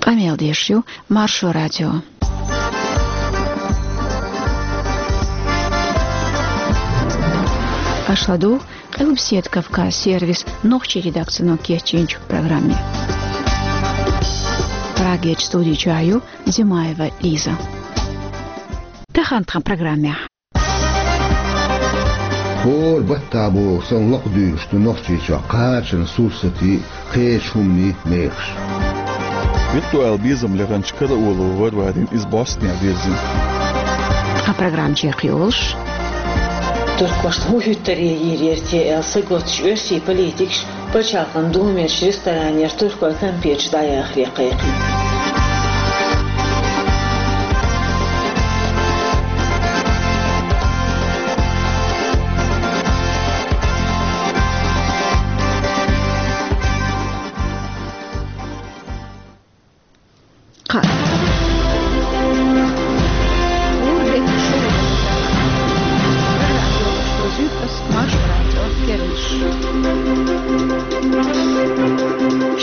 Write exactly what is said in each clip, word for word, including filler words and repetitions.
Къамел деш ю Маршо радио. Аша ладугӀу Къилбаседа Кавказ сервисан нохчийн редакцино кечйинчу программе. Прагерчу студи чохь ю Зимаева Лиза. Тахана тхан программехь. ХӀора баттахь боху санна лакхадуьйлуш ду Нохчийчохь кхачанан сурсатийн, кхечу хӀуманийн мехаш. Виртуал безам леханчу карауло Варварина иза бӀостанехьа вирзина. Тхан программа чекхйолуш. Туркошна хӀун хӀуьттаре йийр яра те аьлла саготтуш оьрсийн политикаш Пачхьалкхан Думерчу ресторанера туркойн кампеташ дӀаяхаре кхайкхина. Кхаа. Урдек шу. Маршо радион керланаш.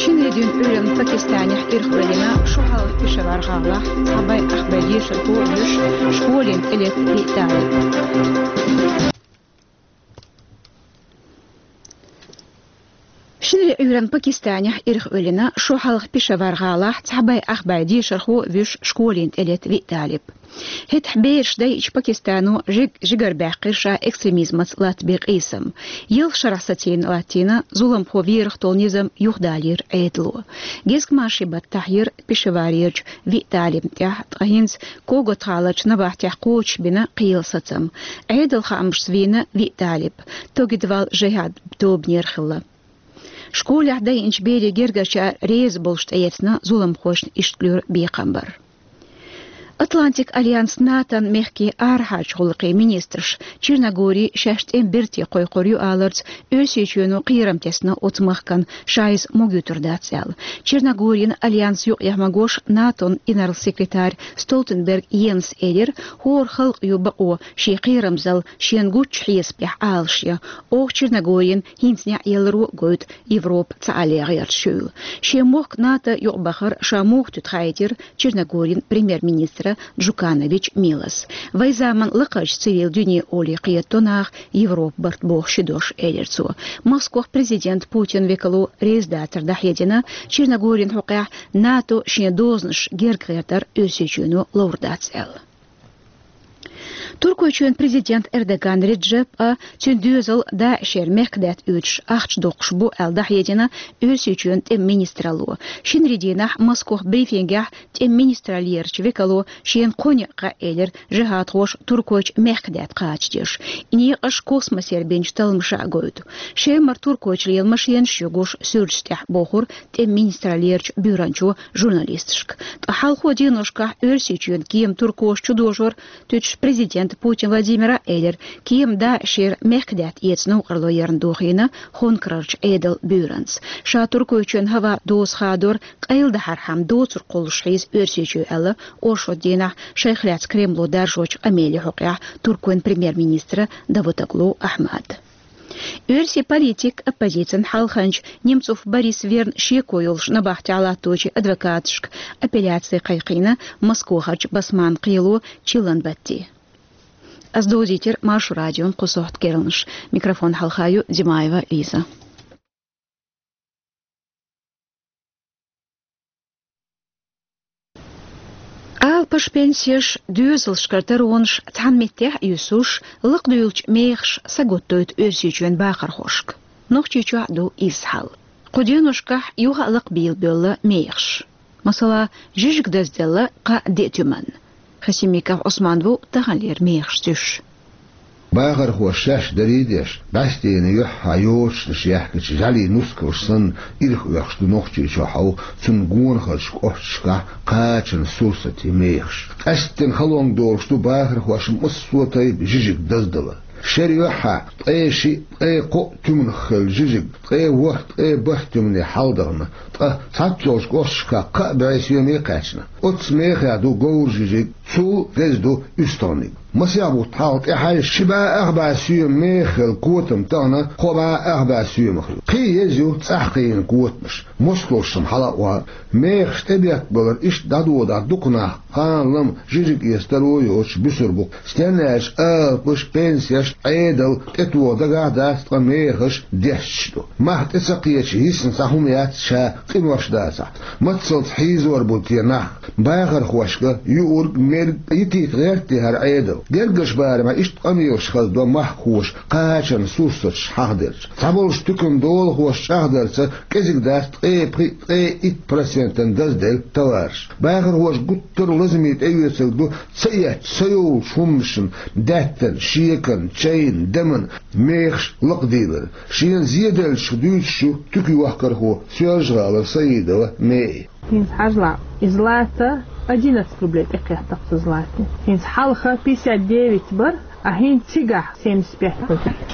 Шинарин дуьйна Ӏуьйранна Пакистанехь ирхъоьллина шо хьалха Пешавар гӀалахь цхьа бӀе ах бӀе дешархо а вуьш школина тӀелетта виъ талиб. Шинарин Ӏуьйранна Пакистанехь ирхъоьллина шо хьалха Пешавар гӀалахь цхьа бӀе ах бӀе дешархо а вуьш школина тӀелетта виъ талиб. ХӀетахь бераш дайча Пакистано жиг-, жигарабаьккхира ша экстремизмаца латтабен къийсам. Ялх шарахь сацийна латтийна зуламхо верах долу низам юхадалийра Ӏедало. Гезгмашин баттахь йира Пешаварерчу виъ талибна тӀехь, ткъа хӀинца Когот-гӀаларчу набахтехь кхочушбина кхиъна сацам. Ӏедалан хаамашца вийна виъ талиб, Тогидвал жихӀад тобанера хилла. Школехь дайинчу берийн гергарчара реза болуш тӀеэцна зуламхошна иштта луьра бекхам бар. Атлантик альянс НАТОн мехкийн арахьарчу гӀуллакхийн министраша Черногори шаьш тӀеман берте кхойкхур ю аларца, Оьрсийчоьно кхерам тесна оцу махкана, ша иза могуьйтур дац аьлла. Черногорин альянсан юкъахь магош НАТОн инарла секретарь Столтенберг Йенс элира, хӀора халкъан ю бакъо шен кхерамзалла шена гучу хьесапехь Ӏалашъян. Оха Черногорина хӀинца неӀ яларо а гойту Европа цхьаалле гӀерташ хуьлу. Шен мохк НАТО юкъабахар ша муха туьту хаийтира Черногорин премьер-министра Джуканович Милоса. Вайн заманан лакхарчу цивил дуьне олий кхета до наха Европа барт боху ши дош, элира цо. Москвахь президент Путин векало реза дацар дӀахьедина, Черногорин хьокъехь НАТО шен дозанаш герга гӀертар Оьрсийчоьно ловр дац аьлла. Туркойчоьнан президент Эрдоган Реджеп а, цуьнан доьзал ДАИШера мехкадаьтта оьцуш ахча доккхуш бу аьлла дӀахьедина Оьрсийчоьнан тӀеман министралло. Шинарин дийнахь Москвахь брифингехь тӀеман министраллерачу векало шена кхо некъ хаьа элира жихӀадхоша Туркойчу мехкадаьтта кхачадеш. И некъаш космосера бинчу талламаша а гойту. Шемара Туркойчу лела машенаш ю гуш суьрташ тӀехь, бохура тӀеман министраллерачу буьйранчо журналисташка. Ткъа хьалхо деношкахь Оьрсийчоьнан кема туркоша чудожор туьтуш президента Путин Владимира элира, кема ДАИШера мехкадаьтта эца новкъарло ярна дохийна Хонкарарчу Ӏедалан буьйранца. Ша Туркойчоьнан хӀаваан доза хадор къайладахьархьама доцург кхуллуш хьийза Оьрсийчоь аьлла, оршот дийнахь шайх лаьцна Кремло даржочу къамеле хьокъехь Туркойн премьер-министра Давутоглу Ахьмада. Оьрсийн политик, оппозицин хьалханча Немцов Борис верна шеко йолуш набахтехь латточийн адвокаташка апелляци кхайкхийна Москвахарчу Басманна кхело чиллан батте. Ас дозийтира Маршо радион кху сохьта керланаш. Микрофон хьалха ю Димаева Лиза. Алапаш, пенсеш, доьзалшкара таронаш цхьана меттехь а юьсуш, лакхадуьйлучу мехаша сагатдойту Оьрсийчоьнан бахархошка. Нохчийчохь а ду иза хьал. Кху деношкахь юха а лакхабийла боьлла мехаш. Масала, жижиг дазделла кхаа-деа туьманна. Хасимиков Ӏусман ву таханлера мехаш зуьйш. Бахархоша шаьш дарий а деш, бӀаьстенан юьххьехь йочанаш яьхкича жӀаьлийн нускалш санна, ирх оьхуш ду Нохчийчохь а, цунна гонахарчу кӀошташкахь кхачанан сурсатийн мехаш. Къаьсттина халонга долуш ду бахархошна массо а тайпа жижиг даздала. Шера юьххьехь ткъе шиъ, ткъе кхоъ туьманах хилла жижиг ткъе ворхӀ, ткъе бархӀ туьмане хьаладахана, ткъа цхьаццайолчу кӀошташкахь кхаа бӀе соьме кхаьчна. Оццу мехех ду говран жижиг, цул а деза ду уьстагӀниг. Масех бутт хьалха тӀехьаьжча, ши бӀе ах бӀе соьма мехах хилла котам тахана кхо бӀе ах бӀе соьмах ю. Кхин а еза ю цӀахь кхиийна котамаш. москвалшна хьала а оха. Мехаш тӀебеттабалар иштта дӀадодахь дукха нах, кхана-лама жижиг эца таро йоцуш, буьсур бу-кх. Стенна аьлча алапаш, пенсеш, Ӏедал тӀетоха дагахь а дац, ткъа мехаш дешча ду. Мах тӀе ца кхеча йисна цхьа хӀума яц ша, къинош дацахь. Маццалц хьийзор бу те нах. Бахархошка юург, мерг йитийта гӀерта хӀара Ӏедал. Гергарчу барамехь иштта къамелаш хездо махкахоша кхачанан сурсаташ хьахадерча. Цхьаболчу туьканан долахоша чӀагӀдарца, кӀезиг дац ткъе пхиъ, ткъе итт процентана дазделла товараш. Бахархоша гуттар а лазаме тӀеоьцург ду ца эцча, ца йолчу хӀуманашна, даьттан, шекарна, чайна, дамана мехаш лакхаделлар. Шена зеделлачух дуьйцуш ю туькан йохкархо, Соьлжа-ГӀалара Саидова Меи. ХӀинца хьажал, и злато одиннадцать рублей тӀекхетта-кх цу златин. ХӀинца хьалха пятьдесят девять бара, а хӀинца цигахь семьдесят пять.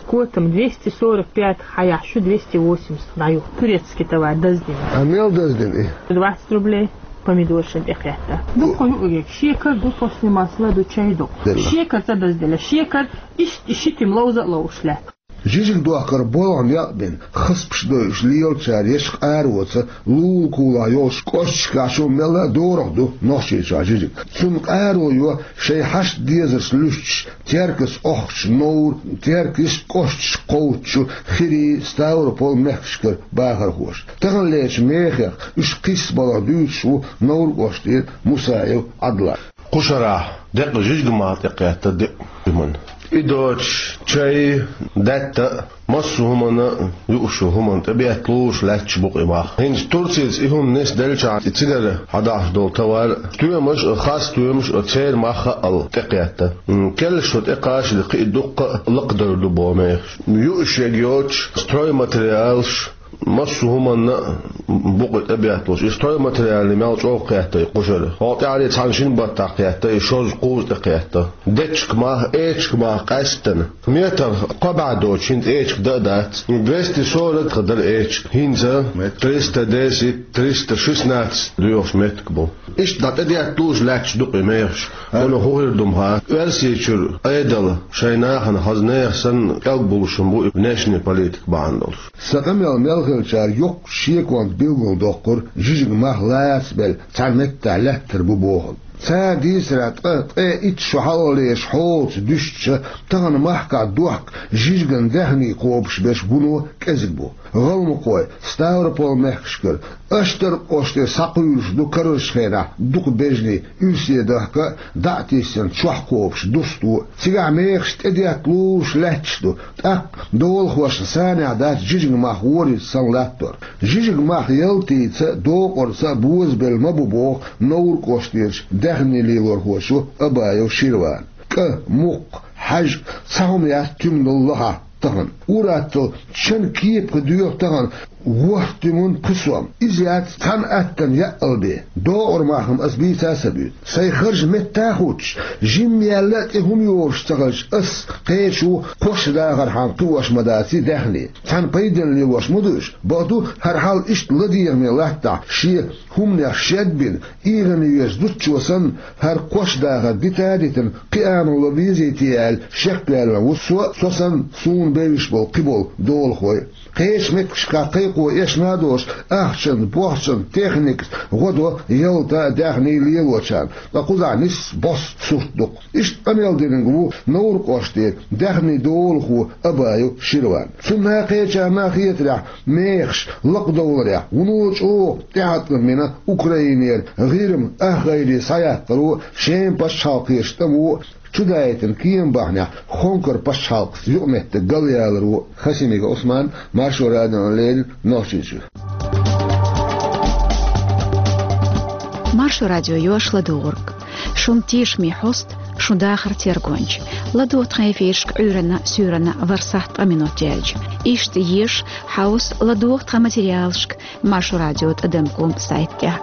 Котам двести сорок пять хьаяхь, шу двести восемьдесят дӀаю. Турецкий товар даздина. А мел даздина и? Двадцать рублей помидоршна тӀекхетта. Дукха юург, шекар ду, после масла ду, чай ду. Делла. Шекар ца дазделла. Шекар иштта ши тима ловза а ловзуш лаьтта. Жижиг дохкар болх некъ бина, хазпаш дойуш лелачара ечу къароца, лулахь-кулахь йолчу кӀошташкахь шу мелла а дорах ду Нохчийчохь жижиг. Цунна къаро йо шайн хьашт-дезарш луьстуш, Теркаца охкучу Новр-, Теркаца кӀошташка кхочучу Хирий, Ставрополь мехкашкара бахархоша. Таханлерчу мехех уьш кхиссабаларх дуьйцуш ву Новр кӀоштара Мусаев Ӏадла. Кху шарахь декъа жижиг мах тӀекхетта диъ хӀуманна. И доцуш, чай, даьтта а, массо а хӀуманна а, юуш йолу хӀуманна тӀебетталуш лаьтташ бу-кх и мах. ХӀинца Турцица и хӀума нисделчахьана, и цигара хьадахьаш долу товар, стоьмаш а, хас стоьмаш а, церан мах а аьлла тӀекхетта. М, кхеллаш шо тӀекхачале, кхин а дуккха а лакхадевр ду боху мехаш. Юуш ерг йоцуш, стройматериалаш, массо а хӀуманна а бу-кх и тӀебетталуш. И стройматериалаш мел чӀогӀа кхетта и кху шарахь. ХӀокху тӀаьххьара цхьана-шина баттахь кхетта, и шозза-кхузза тӀекхетта. Дечиг мах, эчиг мах къаьсттина. Метр кхо бӀе доцуш, хӀинца эчиг дан а дац. Двести сорок дара эчиг. ХӀинца триста десять, триста шестнадцать доьхуш меттиг бу. Иштта дӀа тӀедетталуш лаьтташ ду-кх и мехаш. Вуно хӀун хир ду-м хаа. Оьрсийчуьра Ӏедал шайн нахана хаза нехан санна кӀелгбуллуш хӀума бу и внешняя политика бахьана долуш. Сан къамел мел хилчара йоккхачу шеконца билгалдоккхура жижиг мах лаца белла цхьана меттехь лаьттар бу бохург. Цара дийцарехь, ткъа, ткъе итт шо хьалхалерчу хьолаца дуьстича, тахана махкахь дохка жижиган даьхний кхобуш берш вуно кӀезиг бу. ГӀалмакхой, Ставрополь мехкашкара, Аштаркхоште схьакхуьйлуш ду карарчу хенахь дукха бежний, уьрсе дахка а, дӀа а тиссина, чохь кхобуш дусто а. Цигахь мехаш тӀедетталуш лаьтташ ду, тӀаккха долахошна санехь дац жижиг мах вориза санна латтор. Жижиг мах ялтица а, докъарца а бозабелла ма бу боху Новр кӀоштерчу даьхний лелорхочо Абаев Ширвана. КӀа, мукх, хьаьжкӀа, цхьа хӀума яц туьманал лахахь тахана. Ур-атталла чан кепаха доьху тахана ворхӀ туьма пхи сом. Иза яц цхьана аттана яъал бен. Докъар мах-м аса бийца а ца буьйцу. Сайн харж метта а хуттуш, жимма яьлла а тӀе хӀума йолуш ца хилча, ас кхечо кхош дахархьама кхиош ма даций даьхни. Цхьана пайденна лелош ма ду уьш. Бакъду, хӀара хьал иштта ладегӀаме латтахь, шен хӀуманех шед а бина, ийгӀана веза зудчо санна, хӀара кхош дахар дита а дитина, кхиамо ло безий те аьлла, шекваьлла ву со, со санна, суна бевзаш болу кхиболу долахой. Кхечу меттигашкахь кхайкхо эшна а долуш, ахчанца, бохчанца, техникаца гӀо до ялта а, даьхний а лелочарна, ткъа кхузахь нисса босса сурт ду-кх. Иштта къамел динарг ву Новр кӀоштера даьхни долахо Абаев Ширван. Цунна а, кхечарна а хетарехь, мехаш лакхадовларехь вуно чӀогӀа тӀеӀаткъам бина Украинера ГӀирма ахгӀайре схьаяккхаро, Шеман пачхьалкхерчу тӀамо чудаийтина кема бахьанехь Хонкар пачхьалкхаца юкъаметтиг галъяларо. Хасимиков Ӏусман, Маршо радиона леррина, Нохчийчуьра. Маршо радио йош ладугӀург. Шун тешаме хьоста, шун дахар тергонча. ЛадогӀа тхан эфирашка Ӏуьйранна, суьйранна ворхӀ сахьт ткъа минот яьлча. Иштта еша, хьовса, ладогӀа тхан материалашка Маршо радио тӀадам ком сайтехь.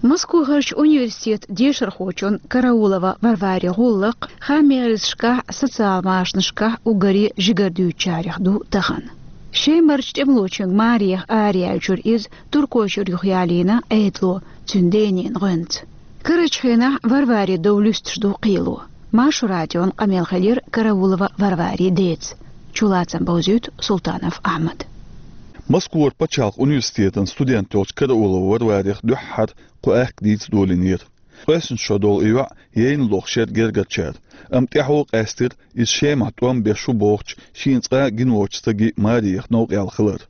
Москвахарчу университетан дешархочун Караулова Варвари гӀуллакх хааман яздаршкахь, социал машанашкахь уггаре жигара дуьйцучарех ду тахана. Шемарчу тӀемалочуьнга маре араялийча иза Туркойчуьра юхаялийна Ӏедало, цуьнан денна гӀоьнца. Карарчу хенахь Варвари дов луьстуш ду кхело. Маршо радион къамел хилира Караулова Варварин деца. Чулацам бовзийт Султанов Ахьмад. Москвара пачхьалкхан университетан студент йолчу Караулова Варварех дуьххьара кху аьхка дийца долийнера. Къоьсна шо долу и йоӀ яйна лохуш яра гергарчара, амма тӀаьхьо къаьстира иза Шемахь тӀом беш ву бохучу шена цкъа а гина воцучу стагийн Мариех новкъа яьлла хилар.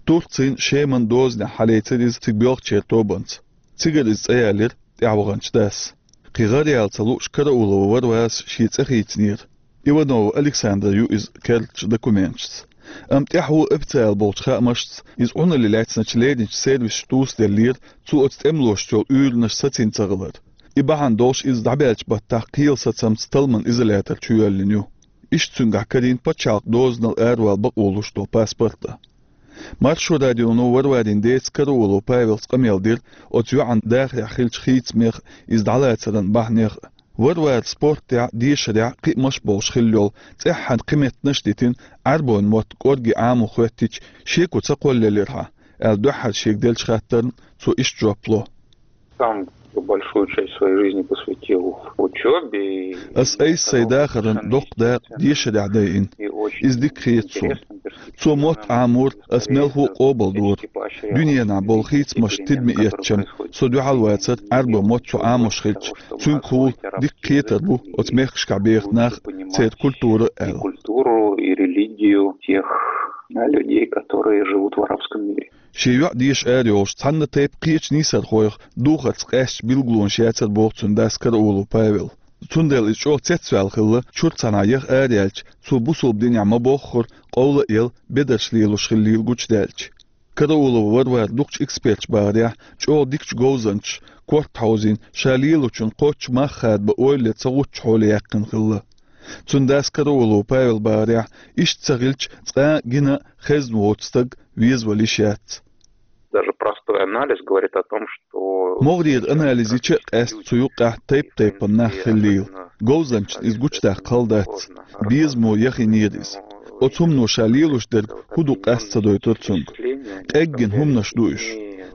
Турцин Шеман дозанехь хьалецира иза цига боьлхучеран тобанца. Цигара иза цӀа ялира тӀаьхьаваханчу дас. Кхин гӀара яла ца лууш Караулова Варварас шен цӀе хийцинера. Иванова Александра ю иза керлачу документашца. Амма тӀаьхьо официалан болчу хаамашца иза Ӏуналле лаьцначу леринчу сервисаша тӀуьсделлера, цо оцу тӀемалошца йолу уьйранаш сацийна ца хилар. И бахьана долуш иза дӀабаьллачу баттахь кхелан сацамца талламан изолятор чу йоьллина ю. Иштта цуьнгахь карийна пачхьалкхан дозанал аравала бакъо луш долу паспорт а. Маршо радионо Варварин деца Караулов Павелца къамел дира оцу йоӀан дахарехь хиллачу хийцамех, иза дӀалацаран бахьанех а. Варвара спортехь, дешарехь кхиамаш болуш хилла йолу, цӀеххьана кхин меттанаш а дитина, Ӏаьрбойн мотт кӀорге Ӏамо хӀоьттича, шеко ца кхоллаелира хьан, аьлла дуьххьара шега деллачу хаттарна цо иштта жоп ло. Сам большую часть своей жизни посвятил учёбе. Ас айса сайн дахаран доккха дакъа дешарехь дайина. Иза дика хета суна. Цо мотт Ӏамор ас мелхо а къобалдора. Дуьненахь болу хийцамаш тидаме эцча, со дуьхьал вацара Ӏаьрбойн мотт цо Ӏамош хилча, цуьнгахула дика кхетар бу оцу мехкашкахь беха нах, церан культура аьлла. Культуру и религию тех людей, которые живут в арабском мире. Шен йоӀ деша арайолуш цхьана тайпа кхечу нийсархойх духарца къаьстачу билгалонаш яцара боху цуьнан дас Караулов Павел. Цундела иза чӀогӀа цецваьлла хилла, чуьра цхьанхьа яха араяьлча, цо бусалба динехь ма-боххура, къовла а елла, бедарш лелош хиллийла гучудаьлча. Караулова Варвара дукхачу эксперташа бахарехь, чӀогӀа дикачу говзанчаша корта хьовзийна, ша лелочун кхоччуш мах хадабан ойла ца гӀуттучу хьоле яьккхина хилла. Цуьнан дас Караулов Павел бахарехь, иштта ца хилча, цкъа а гина а, хезна воцу стаг везавала йиш яц. Даже простой анализ говорит о том, что МогӀарера анализ йича а къаьста цу юккъехь тайп-тайпана нах хиллийла. Говзанчашна иза гучудаккха хала дац. Безамо яхийнера иза. Оцу хӀумано ша лелош дерг хӀун ду къаста ца дойтура цуьнга. Къеггина хӀуманаш ду уьш.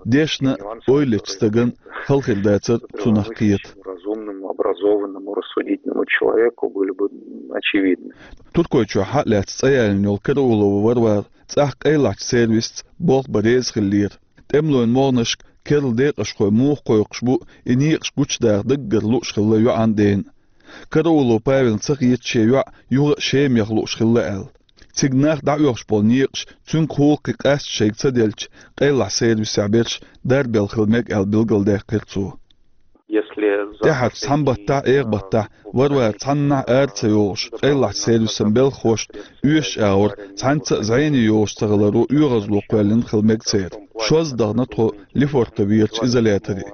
Дешна а, ойла ечу стагана хала хир дацара цунах кхета. Разумному, образованному, рассудительному человеку были бы очевидны. Туркойчохь хьа а лаьцна цӀа ялийна йолу Караулова Варвара цӀахь къайлахчу сервисца болх бан реза хиллера. ТӀемалойн могӀанашка керла декъашхой муха кхойкхуш бу, и некъаш гучудаха даггара лууш хилла йоӀан дена. Караулов Павелна ца хета шен йоӀ юха а Шема яха лууш хилла аьлла. Цига нах дӀаоьхуш болу некъаш цуьнгахула кхин къаста шайга ца делча, къайлахчу сервисехь берш дарбелла хила мега аьлла билгалдаьккхира цо. Если за ТӀаьхьарчу цхьана баттахь, эгӀа баттахь Варвара цхьаннахь ара ца йогӀуш, къайлахчу сервисан белхахошна оьшучу агӀор цхьаьнца а зӀене йогӀуш ца хиларо оьгӀазло кхоьллина хила мега церан. Шозза дахана тхо Лефортоверчу изоляторе.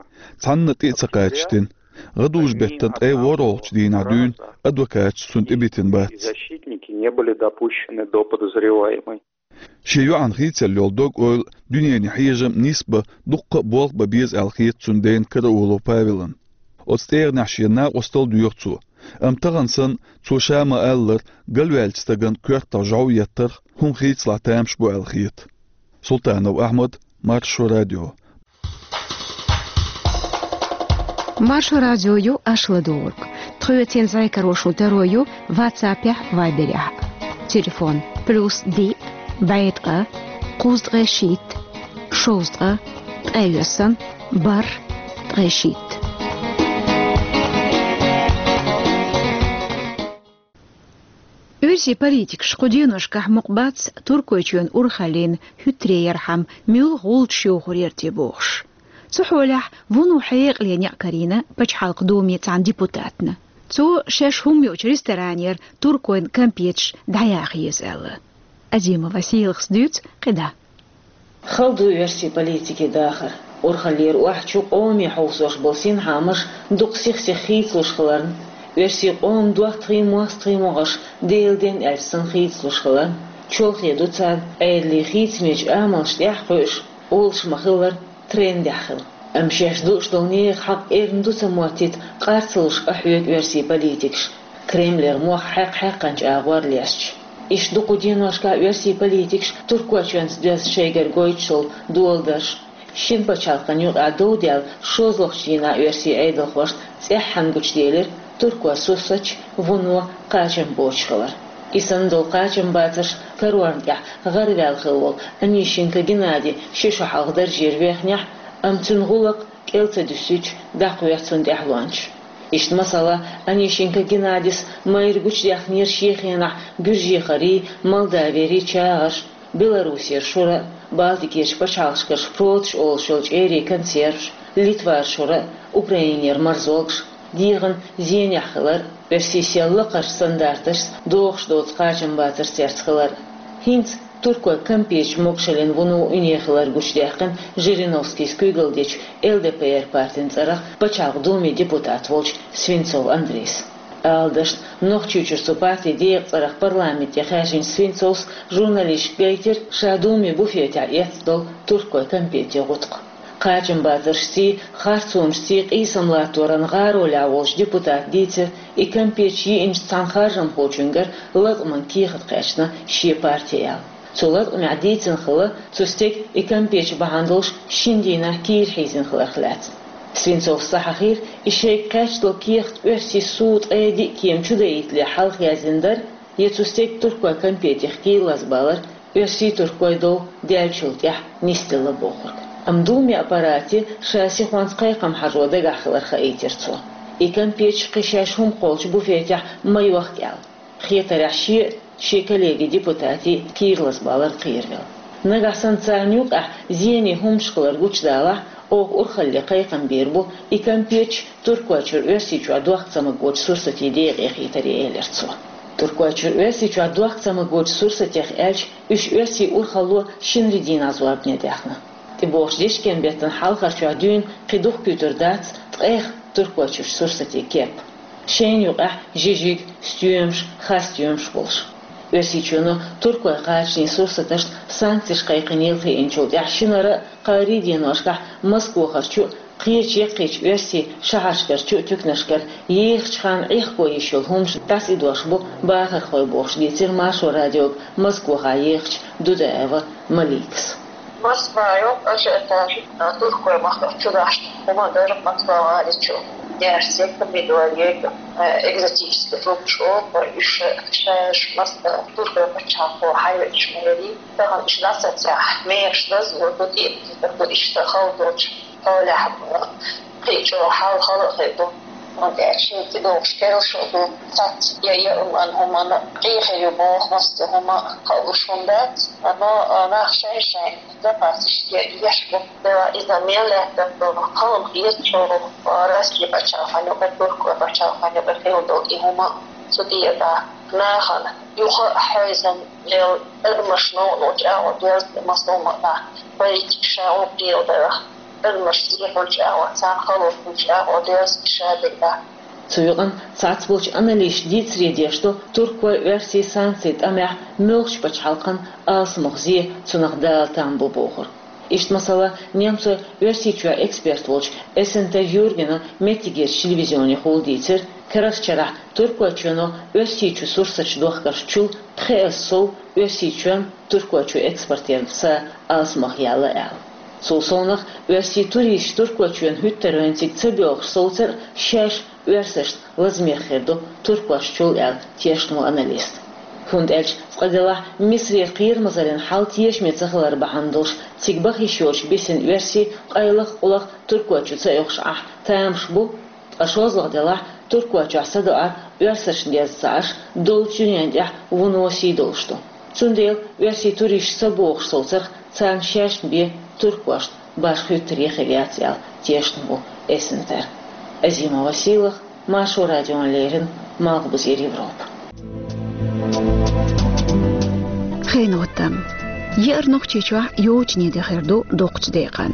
Цхьанна тӀе а ца кхачийтина. ГӀадужу-беттан ткъе ворхӀалгӀачу дийнахь дуьйна адвокаташ цунна тӀебитина бац. Защитники не были допущены до подозреваемой. Шен йоӀан хийцалла йолу дог-ойла, дуьненан хьежам нисбан, дуккха а болх бан беза аьлла хета цуьнан дена Караулов Павелна. Оцу тӀегӀанехь шена накъостал а доьху цо. Амма тахана санна, цо ша ма-аллара, галваьллачу стагана коьртах жӀов еттарх хӀума хийцалахь тамаш бу аьлла хета. Султанов Ахьмад, Маршо радио. Маршо радио ю аша ладугӀург. Тхоьца зӀе карош волу таро ю ватсапехь, вайберехь. Телефон: плюс диъ, бӀе ткъа, кхузткъе шийтта, шовзткъа, ткъе йоьсна, бархӀ, ткъе шийтта. Оьрсийн политикаш кху деношкахь мукъа бац Туркойчоьнан урхаллин хӀуьттаре ярхьама муьлха гӀулчаш йохур яра те бохуш. Цу хьолехь вуно хьекъале некъ карийна Пачхьалкхан Думин цхьана депутатна. Цо шаьш хӀума йоцучу ресторанера туркойн кампеташ дӀаяха еза аьлла. Азимова Селхас дуьйцу кхидӀа. Хала ду оьрсийн политикин дахар. Урхаллера охьа чу къоме хьовсош болу синхаамаш дукха сих-сиха хийцалуш хиларна, оьрсийн къоман доттагӀий, мостагӀий могӀарш Делан ден аьлча санна хийцалуш хиларна, чолхе ду царна Ӏедалан хийцамечу амалш тӀаьхьа кхуьуш, олуш ма-хиллара, трендехь хила. Амма шаьш дууш долу нехан хьакъ эрна ду ца моттийта къар ца луш къахьоьгу оьрсийн политикаш, Кремлера мох хьаькх-хьаькхначу агӀор лесташ. Иштта ду кху деношкахь оьрсийн политикаш Туркойчоьнца доьзна шайгара гойтуш долу доладарш. Шина пачхьалкхана юкъахь дов даьлла шозлагӀчу дийнахь оьрсийн Ӏедалхошна цӀеххьана гучуделира Туркойн сурсаташ вуно кхачам боцуш хилар. И санна долу кхачамбацарш карорна тӀехь гӀараваьлла хилла волу Онищенко Геннадий ши шо хьалха даржера вехнехь, амма цуьнан гӀуллакх кӀел ца дуьсуьйтуш дӀакхоьхьу цунна тӀаьхьалончаш. Иштта, масала, Онищенко Геннадис майра гучудаьхнера шен хенахь Гуьржехарий, Молдавиерий чагӀарш, Белоруссера шура а, Балтикерчу пачхьалкхашкара шпроташ олуш йолу чӀерийн консерваш, Литвара шура а, Украинера марзолгаш, дегӀан зенехь хилар а, оьрсийн сел лакхарчу стандарташца догӀуш доцу кхачамбацарш церца хилар а. ХӀинца туркойн кампеташ могушаллин вуно уьне хилар гучудаьккхина Жириновскийс куьйгалла дечу Л Д П Р партин цӀарах Пачхьалкхан Думин депутат волчу Свинцов Андрейс. Ала дашна, Нохчийчуьра цу партин декъан цӀарах парламенте хаьржинчу Свинцовс журналисташка гайтира ша Думин буфетехь эцна долу туркойн кампетийн гӀутакх. Кхачамбацаршций, харцонашций къийсам латторан гӀаролехь волчу депутата дийцира, и кампеташ йиъначу цхьана харжамхочуьнгара латкъаман кехат кхаьчна шен партин аьлла. Цу латкъамехь дийцина хилла, цу стеган и кампеташ бахьана долуш шина дийнахь кийра хьийзина хиларх лаьцна. Свинцовс ца хьахийра, и шайга кхаьчна долу кехат оьрсийн суд ткъе диъ кема чу даийтале хьалха яздина дара, я цу стеган туркойн кампетех кийра лазабалар оьрсийн-туркойн дов даьллачул тӀаьхьа нисделла бохург. Амма Думин аппарате ша сихонца кхайкхам хьажо дагахь хилар хаийтира цо. И кампеташ кхин шаьш хӀума кхоллучу буфетехь ма йохка аьлла. Хетарехь, шен а, шен коллегин депутатийн а кийра лазабалар кхеравелла. Нагахь санна царна юкъахь зенийн хӀуманаш хилар гучудалахь, оха урхалле кхайкхам бийр бу и кампеташ Туркойчуьра Оьрсийчохь дохка ца магочу сурсатийн декъе хетаре, элира цо. Туркойчуьра Оьрсийчохь дохка ца магочу сурсатех аьлча, уьш оьрсийн урхалло шинарин дийнахь зорбане даьхна. ТӀебогӀучу дечкен-беттан хьалхарчохь дуьйна кхин дукха куьйгар дац ткъех Туркойчуьрчу сурсатийн кеп. Шайна юкъахь жижиг, стоьмаш, хасстоьмаш болуш. Оьрсийчоьно туркойн кхачанийн сурсаташна санкцеш кхайкхинийла хиъначул тӀаьхьа шинара а, кхаарин а деношкахь Москвахарчу а, кхечу яккхийчу оьрсийн шахьаршкарчу а туьканашкара ехачу ханна Ӏехко йиш йолу хӀуманаш дӀасаидош бу бахархой бохуш, дийцира Маршо радиога Москвахь ехачу Дудаева Маликас. Москвахь йолу ажиотаж туркойн махках чу дахьаш хӀума дара Москва гӀали чу. Яьрсиг, помидориг, экзотический фрукташ олу, уьш шаьш Москва туркойн пачхьалкхо хьайвечу мерий. Тахана уьш дӀасацахь, мехаш дазло ду, тӀе а ду, иштта хала долчу хьолехь кхин чӀогӀа хьал хала а хир ду. ХӀунда аьлча шен тӀедогӀуш керла шо ду, цхьацца я яа хӀуманна, хӀуманна къехьа ю боху, массо а хӀума халуш хӀума дац, но нах шайн-шайн запасаш еш бу. Иза мел лаьттар ду, кхалма хеза чӀогӀа Россия пачхьалкхана юкъа, туркойн пачхьалкхана юкъа хила долу и хӀума цу тӀера нахана юха а хьойзам лел адамаш новкъа чӀагӀо деза, масална, политика ша гӀуллакх леладарах, адамаш зехьулчу агӀо, царна халонаш агӀо деза ша дерг. Цу юкъана цхьацца болчу аналитикаша дийцаре деш ду, туркойн, оьрсийн санкцийн тӀамехь муьлххачу пачхьалкхан алсамох зе, цунах дала там бу бохург. Иштта, масала, немцойн Оьрсийчоьнан эксперт волчу Эссентер Юргена меттигерчу телевизионехула дийцира, карарчу шарахь Туркойчоьно Оьрсийчу сурсаташ дохкаршчул пхиэс сов Оьрсийчоьнна Туркойчу экспортерна са алсамох яьлла аьлла. Цул совнах, оьрсийн туристаш Туркойчоьнна хӀуьттарвайн цига ца боьлхуш совцар а шаьш оьрсашна лазамех хир ду туркошчул аьлла, тешна ву аналист. ХӀунда аьлча цкъа делахь, Мисарера кхерамазаллин хьал тешаме ца хилар бахьана долуш, цига баха йиш йоцуш бисина оьрсий къайлаха-къулаха Туркойчу ца оьхуш Ӏахь тамаш бу, ткъа шозлагӀа делахь, Туркойчохь садоӀар оьрсашна деза ца Ӏаш, доллучу дуьненна тӀехь вуно сий долуш ду. Цундела оьрсийн туристаш ца богӀуш совцарх, царна шаьшна бен туркошна башха хӀуьттаре хир яц аьлла, тешна ву Эссентер. Азима Василах, Маршо радиона леррина, Малхбузера Европа. Хенотам. Еара Нохчийчохь йочане де хир ду доккхачу декъан.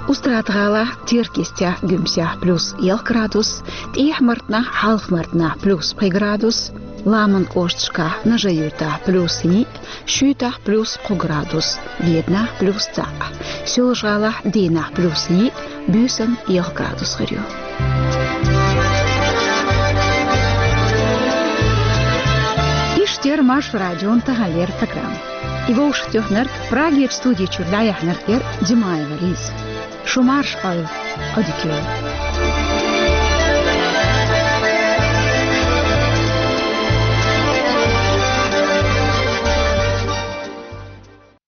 Устрада-ГӀалахь, Теркйистехь, Гуьмсехь плюс ялх градус, ТӀехьа-Мартанахь, Хьалха-Мартанахь плюс пхи градус, Ламан кӀошташкахь, Нажи-Юьртахь плюс йиъ, Шуьйтахь плюс кхо градус, Веданахь плюс цхьаъ, Соьлжа-ГӀалахь, Дийнахь плюс йиъ, буьйсанна ялх градус хир ю. Иштта яра Маршо радион таханлера программа. И вовшахтоьхнарг, Прагерчу студи чуьра дӀаяьхьнарг яра Димаева Лиза. Шу марша Ӏойла, Ӏодика йойла.